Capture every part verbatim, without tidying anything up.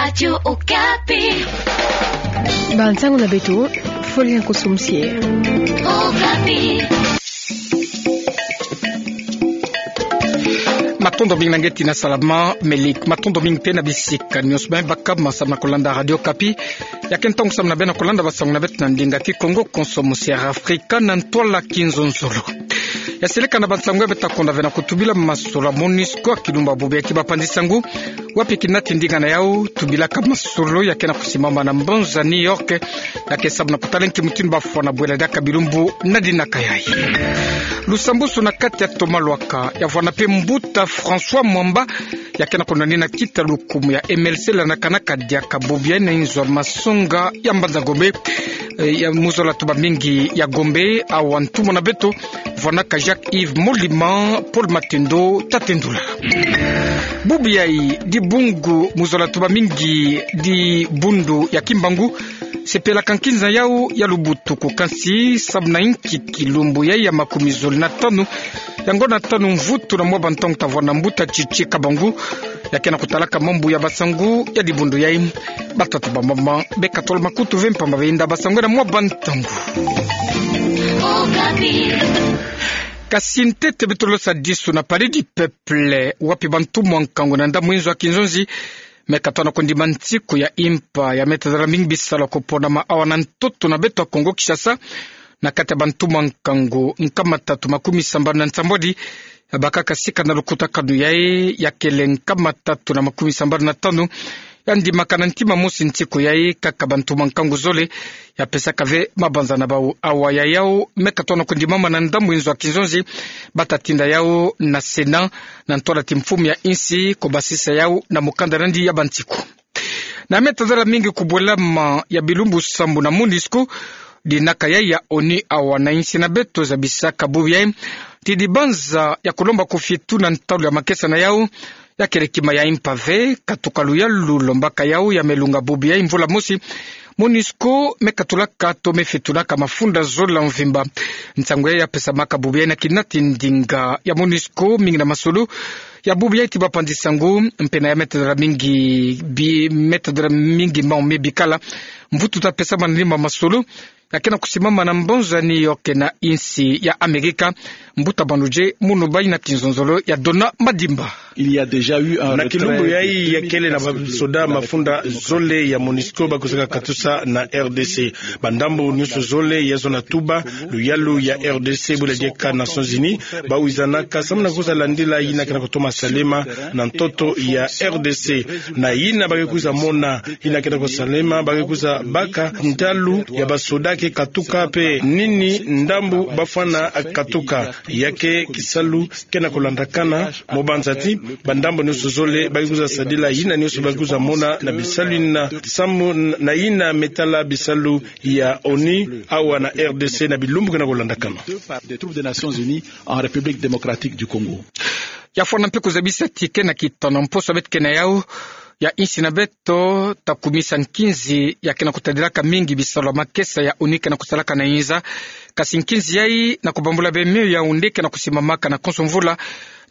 Radio Okapi. Bansango na beto, Folia Nkoso Msie. Okapi. Matondo mingi na nge tina salama, Melik. Matondo mingi pe na bisika nyonso bima baka ma samu na kolanda Radio Okapi. Ya ke ntangu samu na beno kolanda bansango na beto na ndinga Kikongo, konso mosiara Afrika na ntwala kinzonzolo. Ya seleka na bansango ya beto ta konda ve na kutubila masolo ya MONUSCO, kilumbu ya bubu ya eti ba pandisa ngu, wapi kinati ndinga na yau, tubilaka masolo ya ke na kusimama na mbanza New York, ya ke samu na kutala nki mutindu bafwana bwela diaka bilumbu na dinaka yayi. Lusambusu na kati ya Thomas Lwaka, ya vwana pe mbuta François Mwamba, ya ke na kunwanina kita lukumu ya M L C lanaka na kadiaka bubu yayi na inzo ya masonga ya Mbanza Gombe, eh, ya mu zola tuba mingi ya Gombe, awa ntumwa na beto, vwanaka Jacques Yves Molima, Paul Matendo ta tendula. Bubu yayi di bungu mu zola tuba mingi di bundu ya Kimbangu, sepelaka nkinza yau ya lubutuku kansi samu na inki kilumbu yayi ya makumi zole na tanu ya ngonda tanu mvutu na mwa bantangu ta vwana mbuta Tchitchi Kabangu, ya ke na kutalaka mambu ya bansangu ya dibundu yayi. Batata bamama, beka tolo makutu ve mpamba benda bansangu na mwa bantangu. Okapi. Kasi ntete beto losa disu na Palais du Peuple, wapi bantumwa nkangu na ndambu inzo ya kinzonzi me katona kundima nsiku ya impa ya me tadala mingi bisalu ya kuponama awa na ntoto na beto ya Kongo Kinshasa, na kati ya bantumwa nkangu nkama tatu makumi sambanu na nsambwadi, ya bakaka sika na lukutakanu yayi, ya kele nkama tatu na makumi sambanu na tanu ya ndimaka na ntima mosi nsiku yayi, kaka bantumwa nkangu zole ya pesaka ve mabanza na bau. Awa ya yau me katona kundimama na ndambu inzo ya kinzonzi, bata tinda yau na Sénat, na ntwala ti mfumu ya insi, kubasisa yau na mukanda nandi ya bansiku. Na me tadala mingi kubwelama ya bilumbu sambu na MONUSCO, dinaka yayi ya ONU awa na insi na beto zabisaka bubu yayi ti dibanza ya kulomba kufietu na ntalu ya makesa na yau, ya kele kima ya impa ve, katuka luyalu lombaka yau ya me lunga bubu yayi mvula mosi. MONUSCO me katulaka to me fietunaka mafunda zole ya mvimba. Nsangu yayi ya pesamaka bubu yayi na kinati ndinga ya MONUSCO mingi na masolo ya bubu yayi ti ba pandisa ngu, mpe na ya me tadala mingi bi, me tadala mingi mau me bikala. Mvutu ta pesamana na nima masolo ya ke na kusimama na mbanza New York na insi ya Amerika. Mbuta Banuje Munubai na kinzonzolo ya Dona Madimba. Na kilumbu yayi ya kele na basoda mafunda zole ya MONUSCO ba kwizaka katusa na R D C. Bandambu nyonso zole ya zona tuba luyalu ya R D C bula dieka Nations Unies ba wizanaka samu na kwiza landila yina ke na kutoma salema na ntoto ya R D C. Na yina ba ke kwiza mona yina ke na kusalema, ba ke kwiza baka ntalu ya basoda ke katuka mpe nini ndambu bafwana katuka. Ya ke kisalu ke na kulandakana, mu banza ti bandambu nyonso zole ba ke kwiza sadila yina nyonso ba ke kwiza mona na bisalu yina samu na yina me tala bisalu ya ONU awa na R D C na bilumbu ke na kulandakana. Des troupes des Nations Unies en République démocratique du Congo. Ya fwana mpe kuzabisa ti ke na kitana mposo beto ke na yau, ya insi na beto ta kumisa nkinzi ya ke na kutadilaka mingi bisalu ya makesa ya ONU ke na kusalaka na inza. Kasi nkinzi yayi na kubambula bemio ya Yaoundé ke na kusimamaka na konso mvula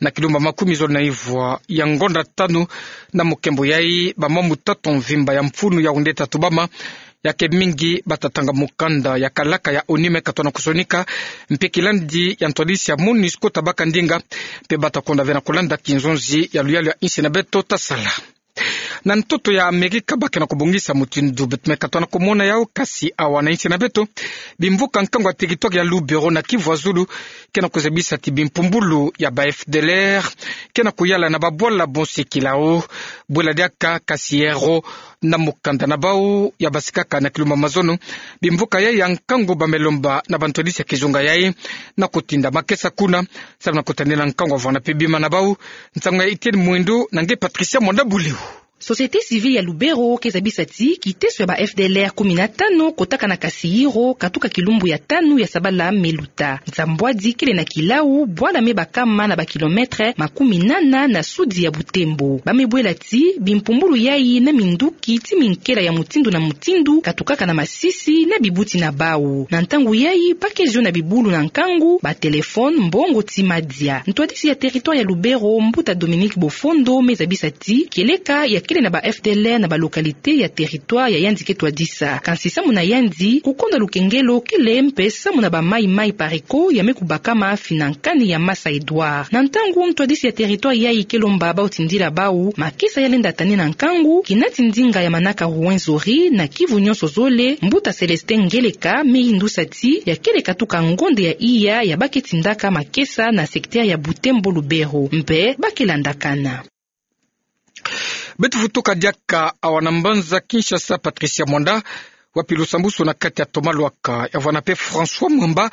na kilumbu makumi zole na ivwa ya ngonda tanu. Na mukembo yayi bamambu tatu mvimba ya mfunu ya Yaoundé ta tubama, ya ke mingi bata tanga mukanda ya kalaka ya ONU me katona kusonika, mpe kilandi ya ntwadisi ya MONUSCO ta baka ndinga, mpe bata konda ve na kulanda kinzonzi ya luyalu ya insi na beto ta sala. Na ntoto ya Amerika ba ke na kubongisa mutindu beto me katona kumona yau, kasi awa na insi na beto, bimvuka nkangu ya territoire ya Lubero na Kivu ya Zulu ke na kuzabisa ti bimpumbulu ya ba F D L R ke na kuyala na babwala bonsekila o, bwela diaka kasi yero na mukanda na bau ya basikaka na kilumbu ya mazono. Bimvuka yayi ya nkangu ba me lomba na bantwadisi ya kizunga yayi na kutinda makesa kuna, samu na kutadila nkangu ya vwana mpe bima na bau. Nsangu ya Etienne Mwendo na nge Patricia Mwanda Buleu. Société civile ya Lubero ke zabisa ti kiteso ya ba F D L R kumi na tano kotaka na kasi yero katuka kilumbu ya tanu ya sabala me luta. Nsambwadi kele na kilau, bwala me bakama na ba kilomètre makumi nana na sudi ya Butembo. Ba me bwela ti bimpumbulu yayi na minduki ti minkela ya mutindu na mutindu katukaka na masisi na bibuti na bau. Na ntangu yayi ba ke zio na bibulu na nkangu, ba téléphone, mbongo ti madia. Ntwadisi ya territoire ya Lubero, mbuta Dominique Bofondo, me zabisa ti kieleka ya kele na ba F D L R na ba localité ya territoire ya yandi ke twadisa. Kansi samu na yandi, kukonda lukengelo kele mpe samu na ba maï-maï pariko ya me kubakama fina nkani ya Masa Edouard. Na ntangu ntwadisi ya territoire yayi ke lomba bau tindila bau makesa ya lenda tani na nkangu, kinati ndinga ya manaka Rwenzori na Kivu nyonso zole, mbuta Célestin Ngeleka me yindusa ti ya kele katuka ngonde ya iya ya ba ke tindaka makesa na secteur ya Butembo Lubero. Mpe ba ke landakana. Beto vutuka diaka awa na mbanza Kinshasa, Patricia Mwanda, wapi lusambusu na kati ya Thomas Lwaka, ya vwanda mpe François Mwamba,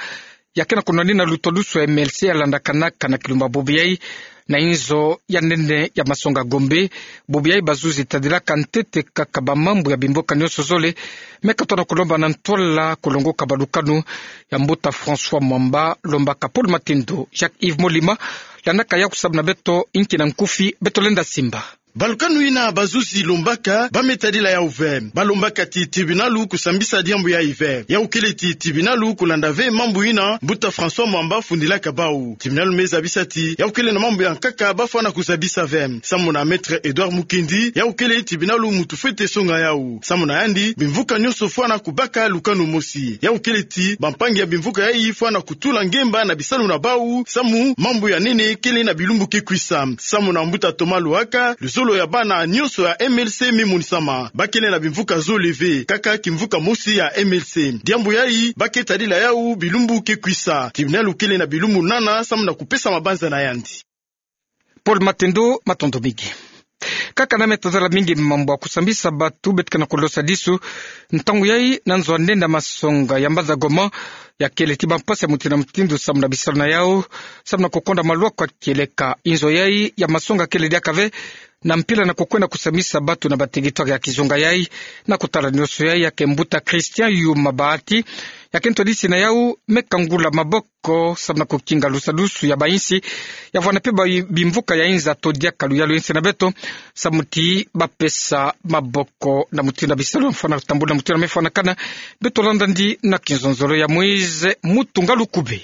ya ke na kunwanina lutwadusu ya M L C ya landakanaka na kilumbu ya bubu yayi, na inzo ya nene ya masonga Gombe, bubu yayi bazuzi tadilaka ntete kaka ba mambu ya bimvuka nyonso zole, me katona kulomba na ntwala kulongoka ba lukanu ya mbuta François Mwamba, lombaka Paul Matendo, Jacques Yves Molima, landaka yaku sabu na beto, inki na nkufi beto lenda simba. Ba lukanu ina bazuzi lombaka, ba me tadila yau ve. Ba lombaka ti tibinualu kusambisa diambu yayi ve. Yau kele ti tibinualu kulanda ve mambu ina mbuta François Mwamba fundilaka bau. Tibinualu me zabisa ti yau kele na mambu ya nkaka ba fwana kuzabisa ve. Samu na Maître Edouard Mukendi, yau kele tibinualu muntu fwete songa yau. Samu na yandi, bimvuka nyonso fwana kubaka lukanu mosi. Yau kele ti bampangi ya bimvuka yayi fwana kutula ngemba na bisalu na bau, samu mambu ya nene kele na bilumbu ke kwisa. Samu na mbuta Thomas Lwaka, luzolo ya bana nyonso ya M L C me monisama. Ba kele na bimvuka zole ve, kaka kimvuka mosi ya M L C. Diambu yayi, ba ke tadila yau bilumbu ke kwisa. Tibinualu kele na bilumbu nana, samu na kupesa mabanza na yandi. Paul Matendo, matondo mingi. Kaka na me tazala mingi mambu ya kusambisa batu, beto ke na kulosadisu ntangu yayi na nzo ya nene ya masonga ya mbanza Goma, ya kele ti bampasi ya mutindu na mutindu samu na bisalu na yau, samu na kukonda malwaka kieleka. Inzo yayi ya masonga kele diaka ve na mpila na kukwenda kusambisa batu na ba territoire ya kizunga yayi. Na kutala nyonso yayi, ya ke mbuta Christian Yuma Bahati, ya ke ntwadisi na yau, me kangula maboko ko samu na kukinga lusadusu ya bainsi, ya vwanda mpe ba bimvuka ya inza to diaka luyalu ya insi na beto, samu ti ba pesa maboko na mutindu ya bisalu ya fwana tambula, na mutindu ya me fwanakana. Beto landa ndi na kinzonzolo ya Moïse Mutunga Lukube.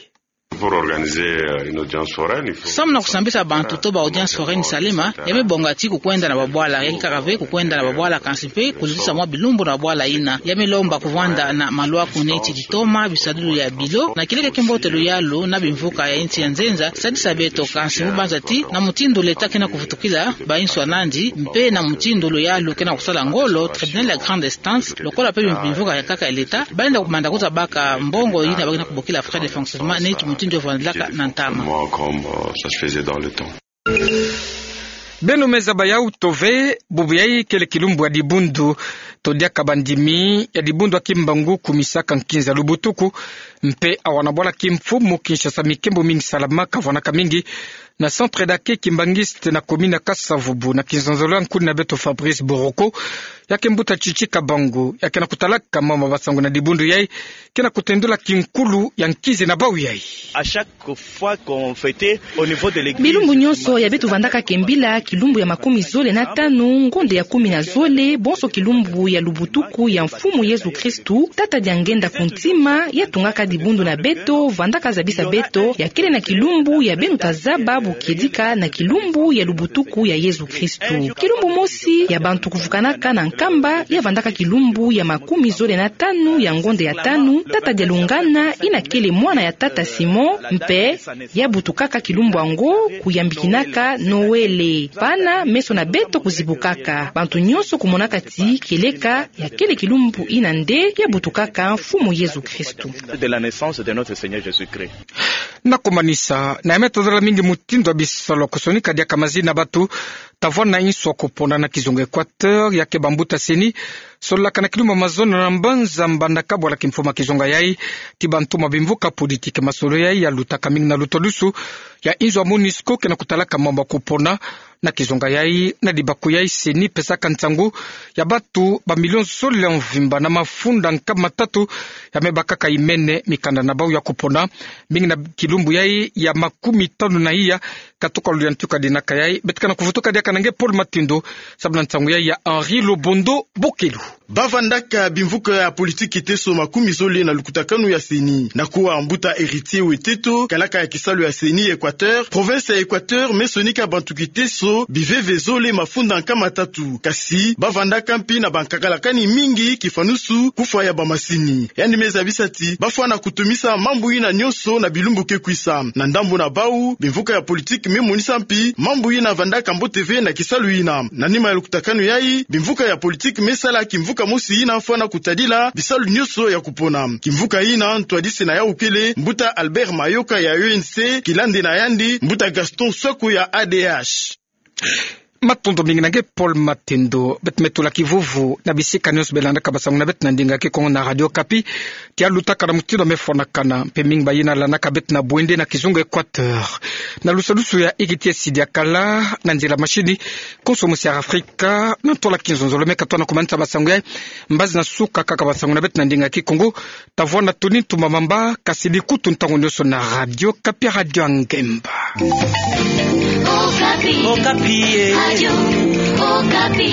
Pour organiser, euh, une audience foraine, il faut... Samu na kusambisa bantu to ba audience foraine salema, ya me bonga ti kukwenda na babwala, ya ke kaka ve kukwenda na babwala, kansi mpe kuzitisa mwa bilumbu na babwala ina. Ya me lomba kuvwanda na malwaka neti ditoma, bisadulu ya bilo, na kieleka kimbote luyalu na bimvuka ya insi ya nzenza, sadisa beto kansi mu banza ti, na mutindu l'État ke na kuvutukila bainsi ya nandi, mpe na mutindu luyalu ke na kusala ngolo, tribunal ya grande instance, lokola mpe bimvuka ya nkaka ya l'État, ba lenda kumanda kuta baka mbongo ina ba ke na kubokila frais de fonctionnement, neti mutindu ya vwandilaka na ntama. Moi, comme, euh, ça se faisait dans le temps. Beno me zaba yau to ve, bubu yayi kele kilumbu ya dibundu to diaka bandimi ya dibundu ya Kimbangu kumisaka nkinza lubutuku, mpe awa na bwala Kimfumu Kinshasa mikembo mingi salamaka, vwanaka mingi na centre d'accueil kimbanguiste na commune ya Kasa-Vubu. Na kinzonzolo ya nkuni na beto Fabrice Boroko, ya ke mbuta Chichi Kabangu, ya ke na kutalaka mama basangu na dibundu yayi, ke na kutendula kinkulu ya nkinzi na bau yayi. À chaque fois qu'on fêtait au niveau de l'église. Bilumbu nyonso ya beto vandaka kembila kilumbu ya makumi zole na tanu ngonde ya kumi na zole, bonso kilumbu ya lubutuku ya Mfumu Yezu Kristu, Tata Diangienda ku ntima, ya tungaka dibundu na beto, vandaka zabisa beto ya kele na kilumbu ya beno ta zaba bu kiedika na kilumbu ya lubutuku ya Yezu Kristu. Kilumbu mosi ya bantu kuvukanaka na Nkamba, ya vandaka kilumbu ya makumi zole na tanu ya ngonde ya tanu, Tata Dialungana, ina kele mwana ya Tata Simon, mpe ya butukaka kilumbu yango kuyambikinaka Noele. Pana meso na beto kuzibukaka, bantu nyonso kumonaka ti kieleka ya kele kilumbu ina nde ya butukaka Mfumu Yezu Kristu. De la naissance de notre Seigneur Jésus-Christ. Na kumanisa, na ya me tozala mingi mutindu ya bisalu ya kusonika diaka mazina na batu, ta vwanda na insu ya kupona na kizunga Équateur, ya ke bambuta CENI, sololaka na kilumbu ya mazono na mbanza Mbandaka bwala kimfumu ya kizunga yayi, ti bantoma bimvuka politique. Masolo yayi ya lutaka mingi na lutodusu ya inzo ya MONUSCO ke na kutalaka mambu ya kupona na kizunga yayi. Na dibaku yayi, CENI pesaka nsangu ya batu ba million zole ya mvimba na mafunda nkama tatu ya me bakaka imene mikanda na bau ya kupona, mingi na kilumbu yayi ya makumi tanu na iya. Katuka lulendo tuka dinaka yayi, beto ke na kuvutuka diaka na nge Paul Matendo, sababu na nsangu yayi ya Henri Lobondo Bokelu. Ba vandaka bimvuka ya politiki teso makumi zole na lukutakanu ya CENI. Na kuwa mbuta Héritier Weteto, kalaka ya kisalu ya CENI Équateur, province ya Équateur me sonika bantu kiteso biveve zole mafunda nkama tatu. Kasi ba vandaka mpi na bankakalakani mingi kifanusu kufwa ya bamasini. Yandi me zabisa ti ba fwana kutumisa mambu yina nyonso na bilumbu ke kwisa. Na ndambu na bau, bimvuka ya politiki me monisa mpi mambu yina vandaka mbote ve na kisalu yina. Na nima ya lukutakanu yayi, bimvuka ya politiki me sala kimvuka mosi yina fwana kutadila bisalu nyonso ya kupona. Kimvuka yina ntwadisi na yawu kele mbuta Albert Mayoka ya UNC, kilandi na yandi mbuta Gaston Swaku ya ADH. Matondo mingi na nge Paul Matendo. Beto me tula kivuvu na bisika nyonso belandaka basangu na beto na ndinga Kikongo na Radio Okapi. Tia lutaka na mutindu me fwanakana, mpe mingi bayina landaka beto na bwende na kizunga Équateur. Na lusadusu ya ikiti esi diakala na nzila masini, konso musi ya Afrika na ntola kinzonzolo. Me katwa na kumanisa basangu yayi, mbazi na suka kaka basangu na beto na ndinga Kikongo. Tavwanda tuni ntuma mamba, kasi likutu ntangu nyonso na Radio Okapi, Radio ya Ngemba. Okapi. Okapi, eh. Radio Okapi.